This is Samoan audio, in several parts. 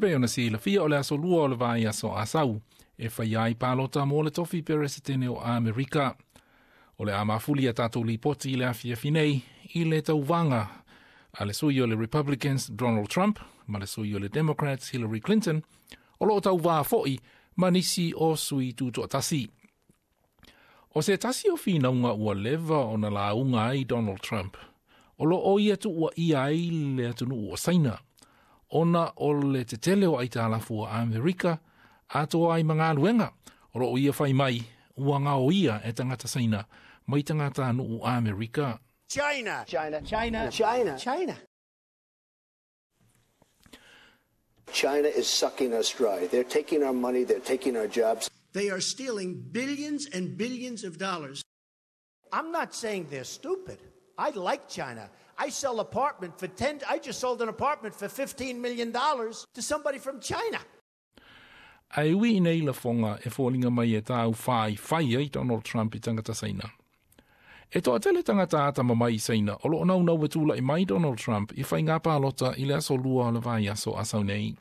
Pei ona silafia o le aso 2 o le vaiaso Asau e faia ai palota mo le tofi peresetene o Amerika. O le a mafuli a tatou lipoti i le afiafi nei i le tauvaga a le sui o le Republicans Donald Trump ma le sui o le Democrats Hillary Clinton, o loo tauvā fo'i ma nisi o sui tutoatasi. O se tasi o finauga ua leva ona lauga ai Donald Trump, o loo ia tuuaia ai le atunuu o Saina, ona o le tetele o aitalafu a Amerika atoa ai ma galuega, o loo ia fai mai ua gaoia e tagata Saina mai tagatanuu Amerika. China! China! China! China! China! China is sucking us dry. They're taking our money, they're taking our jobs. They are stealing billions and billions of dollars. I'm not saying they're stupid. I like China. I sell apartment for 10, I just sold an apartment for $15 million to somebody from China. Ae ui i nei lafoga e foliga mai e taufaifai ai Donald Trump i tagata Saina. E toatele tagata atamamai i Saina o loo naunau e tula'i mai Donald Trump i faiga palota i le aso 2 o le vaiaso Asau nei.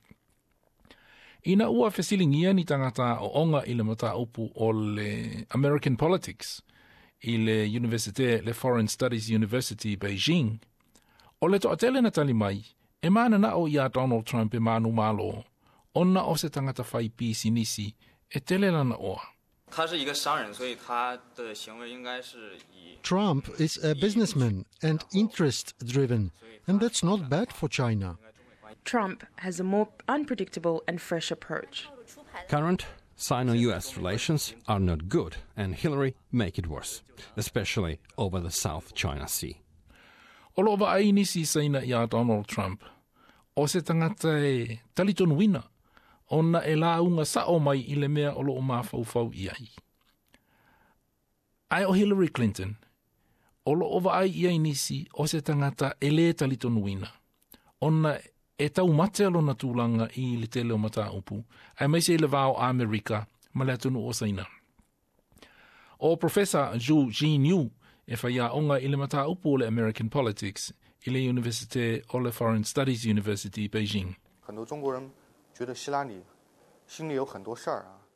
Ina ua fesiligia ni tagata aooga i le mataupu o le American Politics i le Universite le Foreign Studies University Beijing, o le toatele na tali mai e mananao iā Donald Trump e manumalo, ona o se tagata fai pisinisi e tele lana oa. Trump is a businessman and interest-driven, and that's not bad for China. Trump has a more unpredictable and fresh approach. Current Sino-US relations are not good, and Hillary make it worse, especially over the South China Sea. O loo vaai nisi Saina iā Donald Trump, o se tagata e talitonuina, ona e lauga sao mai i le mea o loo mafaufau i ai. Ae o Hillary Clinton, o loo vaai i ai nisi o se tagata e lē talitonuina, ona e taumate lona tulaga i le tele o mataupu, aemaise i le va o Amerika ma le atunuu o Saina. O Professor Zhu Jinyu e faiaoga i le mataupu o le American Politics i le Universite o le Foreign Studies University Beijing.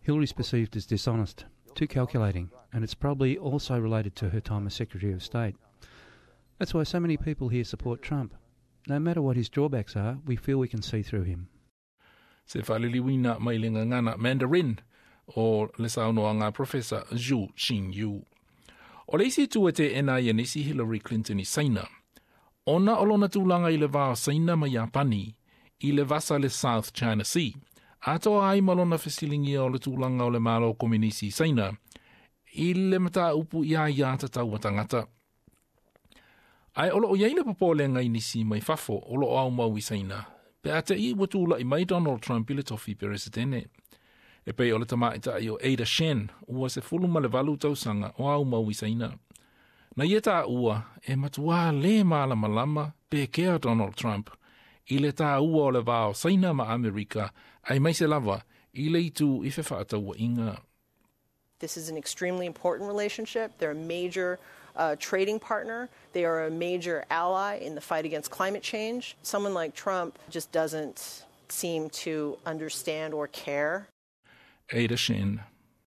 Hillary's perceived as dishonest, too calculating, and it's probably also related to her time as Secretary of State. That's why so many people here support Trump. No matter what his drawbacks are, we feel we can see through him. Se faaliliuina mai le gagana Mandarin o le saunoaga Professor Zhu Xingyu. O le isi itu e teena ai e nisi Hillary Clinton i Saina, ona o lona tulaga i le va o Saina ma Iapani i le vasa le South China Sea, atoa ai ma lona fesiligia o le tulaga o le Malo Kominisi i Saina i le mataupu i aiā tatau a tagata. Ae o loo i ai le popolega i nisi mai fafo o loo aumau i Saina, pe a te i ua tula'i mai Donald Trump i le tofi peresetene. E pei o le tamaitai o Ada Shen, ua 18 tausaga o aumau i Saina. Na ia taua e matuā lē malamalama pe kea Donald Trump i le tāua o le va o Saina ma Amerika, aemaise lava i le itu i fefaatauaiga. This is an extremely important relationship. They're a major trading partner. They are a major ally in the fight against climate change. Someone like Trump just doesn't seem to understand or care. Ada Shen.